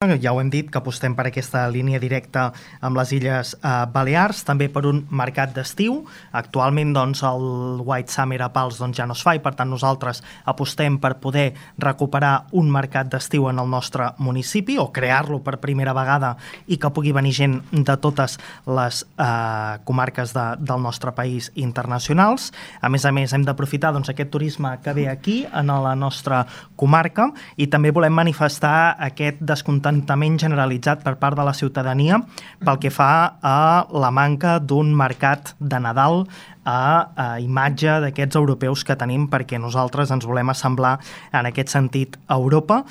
Ja ho hem dit, que apostem per aquesta línia directa amb les Illes Balears, també per un mercat d'estiu. Actualment el White Summer a Pals ja no es fa i per tant nosaltres apostem per poder recuperar un mercat d'estiu en el nostre municipi o crear-lo per primera vegada i que pugui venir gent de totes les comarques del nostre país internacionals. A més, hem d'aprofitar aquest turisme que ve aquí, en la nostra comarca, i també volem manifestar aquest descontentament generalitzat per part de la ciutadania pel que fa a la manca d'un mercat de Nadal a imatge d'aquests europeus que tenim, perquè nosaltres ens volem assemblar en aquest sentit a Europa.